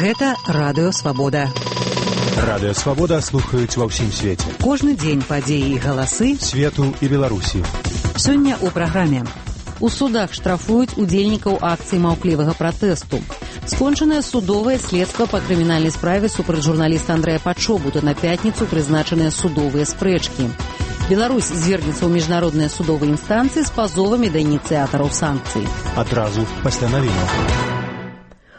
Гэта Радыё Свабода. Радыё Свабода слухаюць ва ўсім свеце. Кожны дзень падзеі і галасы свету і Беларусі. Сёння ў праграме. У судах штрафуюць удзельнікаў акцыі маўклівага пратэсту. Скончанае судовае следства па крымінальнай справе супраць журналіста Андрэя Пачобута. На пятніцу прызначаныя судовыя спрэчкі. Беларусь звернецца ў міжнародныя судовыя інстанцыі з пазовамі да ініцыятараў санкцый. Адразу пасля навінаў.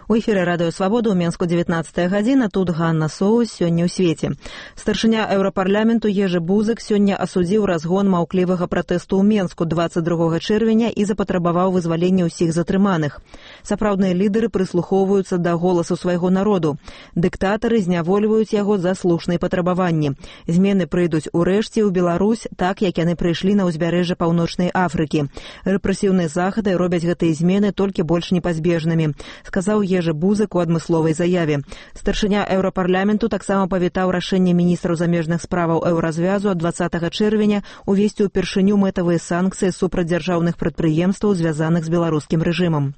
У эфіры Радыё Свабода ў Менску 19 гадзіна. Тут Ганна Соус, сёння ў свеце. Старшыня Еўрапарламенту Ежы Бузык сёння асудзіў разгон маўклівага пратэсту ў Менску 22 чэрвеня і запатрабаваў вызвалення ўсіх затрыманых. Сапраўдныя лідары прыслухоўваюцца да голасу свайго народу. Дыктатары знявольваюць яго за слушныя патрабаванні. Змены прыйдуць урэшце ў Беларусь, так як яны прыйшлі на ўзбярэжжа Паўночнай Афрыкі. Рэпрэсіўныя захады робяць гэтыя змены толькі больш непазбежнымі, сказаў Ежы Бузык у адмысловай заяве. Старшыня Еўрапарламенту таксама павітаў рашэнне міністраў замежных справаў Еўразвязу ад 20 чэрвеня увесці ўпершыню мэтавыя санкцыі супраць дзяржаўных прадпрыемстваў, звязаных з беларускім рэжымам.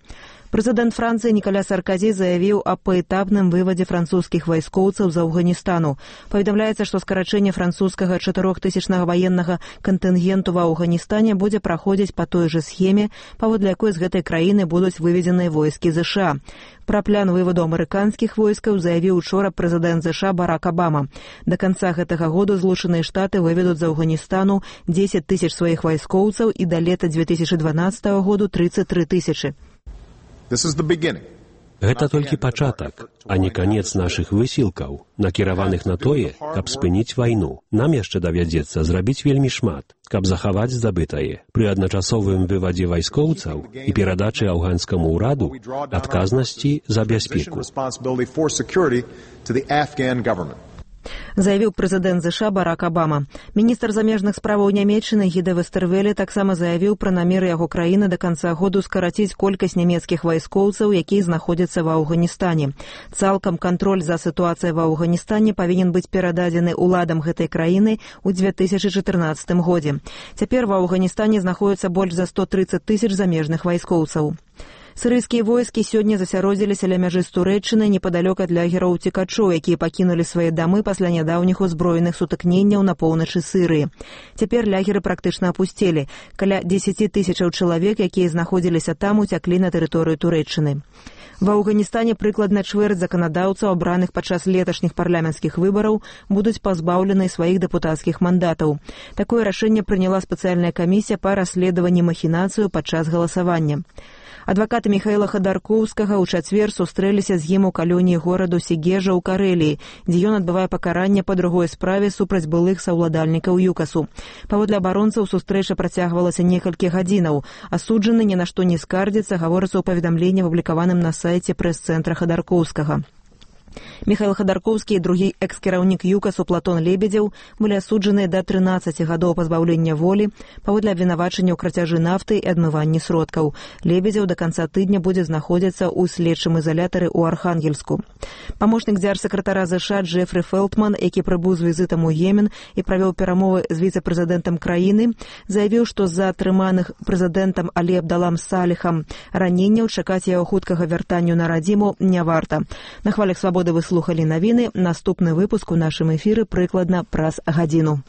Прэзідэнт Францыі Нікаля Сарказі заявіў аб паэтапным вывадзе французскіх вайскоўцаў з Афганістану. Паведамляецца, што скарачэнне французскага 4000-нага ваеннага кантынгенту ва Афганістане будзе праходзіць па той жа схеме, паводле якой з гэтай краіны будуць выведзеныя войскі ЗША. Пра план вываду амерыканскіх войскаў заявіў учора прэзідэнт ЗША Барак Абама. Да канца гэтага году Злучаныя Штаты выведуць з Афганістану 10 000 сваіх вайскоўцаў і да лета 2012 году 33 000. Гэта толькі пачатак, а не канец нашых высілкаў, накіраваных на тое, каб спыніць вайну. Нам яшчэ давядзецца зрабіць вельмі шмат, каб захаваць здабытае. Пры адначасовым вывадзе вайскоўцаў і перадачы афганскаму ўраду адказнасці за бяспеку. Заявіў прэзідэнт ЗША Барак Абама. Міністр замежных справаў Нямецчыны Гіда Вестервеле таксама заявіў пра намеры яго краіны да канца году скараціць колькасць нямецкіх вайскоўцаў, якія знаходзяцца ва Афганістане. Цалкам кантроль за сітуацыяй ва Афганістане павінен быць перададзены ўладам гэтай краіны ў 2014 годзе. Цяпер ва Афганістане знаходзіцца больш за 130 000 замежных вайскоўцаў. Сірыйскія войскі сёння засяродзіліся ля мяжы з Турэччынай непадалёк ад лагераў уцекачоў, якія пакінулі свае дамы пасля нядаўніх узброеных сутыкненняў на поўначы Сірыі. Цяпер лагеры практычна апусцелі. Каля 10 000 чалавек, якія знаходзіліся там, уцяклі на тэрыторыю Турэччыны. Ва Афганістане прыкладна чвэрць заканадаўцаў, абраных падчас леташніх парламенцкіх выбараў, будуць пазбаўлены сваіх дэпутацкіх мандатаў. Такое рашэнне прыняла спецыяльная камісія па расследаванні махінацыю падчас галасавання. Адвакаты Міхаіла Хадаркоўскага ў чацвер сустрэліся з ім у калоніі гораду Сегежа ў Карэліі, дзе ён адбывае пакаранне па другой справе супраць былых саўладальнікаў ЮКАСу. Паводле абаронцаў сустрэча працягвалася некалькі гадзінаў. Асуджаны ні на што не скардзіцца, гаворыцца ў паведамленні, апублікаваным на сайце прэс-цэнтра Хадаркоўскага. Міхаіл Хадаркоўскі і другі экс-кіраўнік ЮКАСу Платон Лебедзеў былі асуджаныя да 13 гадоў пазбаўлення волі паводле абвінавачання ў крацяжы нафты і адмыванні сродкаў. Лебедзеў да канца тыдня будзе знаходзіцца ў следчым изолятары ў Архангельску. Памочнік дзяржсакратара ЗША Джефрі Фелтман, які прыбыў з візітам у Йемен і правёў перамовы з віцэ-прэзідэнтам краіны, заявіў, што з-за атрыманых прэзідэнтам Алі Абдалам Саліхам раненняў чакаць яго хуткага вяртанню на радзіму не варта. На хвалях Свабоды вы слухалі навіны. Наступны выпуск у нашым эфіры прыкладна праз гадзіну.